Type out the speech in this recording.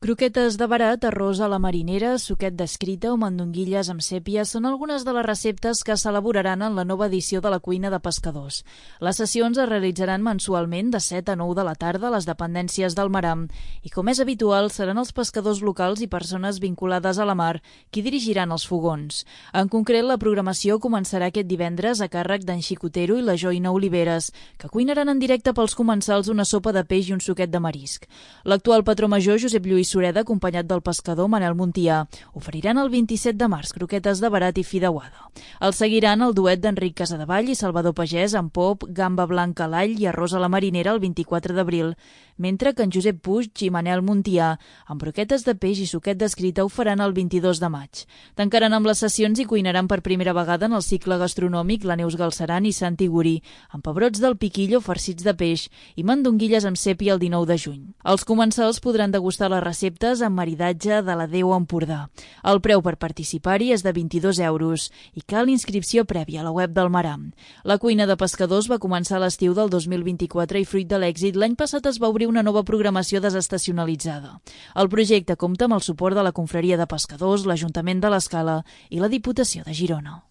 Croquetes de verat, arròs a la marinera, suquet d'escrita o mandonguilles amb sèpia són algunes de les receptes que s'elaboraran en la nova edició de la cuina de pescadors. Les sessions es realitzaran mensualment de 7 a 9 de la tarda a les dependències del Maram i, com és habitual, seran els pescadors locals i persones vinculades a la mar qui dirigiran els fogons. En concret, la programació començarà aquest divendres a càrrec d'en Xicotero i la Joina Oliveres, que cuinaran en directe pels comensals una sopa de peix i un suquet de marisc. L'actual patró major, Josep Lluís Sureda, acompanyat del pescador Manel Montià, oferiran el 27 de març croquetes de verat i fideuada. El seguiran el duet d'Enric Casadevall i Salvador Pagès amb pop, gamba blanca a l'all i arròs a la marinera el 24 d'abril, mentre que en Josep Puig i Manel Montià, amb broquetes de peix i suquet d'escrita, ho faran el 22 de maig. Tancaran amb les sessions i cuinaran per primera vegada en el cicle gastronòmic la Neus Galceran i Santi Gurí, amb pebrots del piquillo farcits de peix i mandonguilles amb sèpia el 19 de juny. Els comensals podran degustar les receptes amb maridatge de la Déu Empordà. El preu per participar-hi és de 22 euros i cal inscripció prèvia a la web del Maram. La cuina de pescadors va començar a l'estiu del 2024 i, fruit de l'èxit, l'any passat es va obrir una nova programació desestacionalitzada. El projecte compta amb el suport de la Confraria de Pescadors, l'Ajuntament de l'Escala i la Diputació de Girona.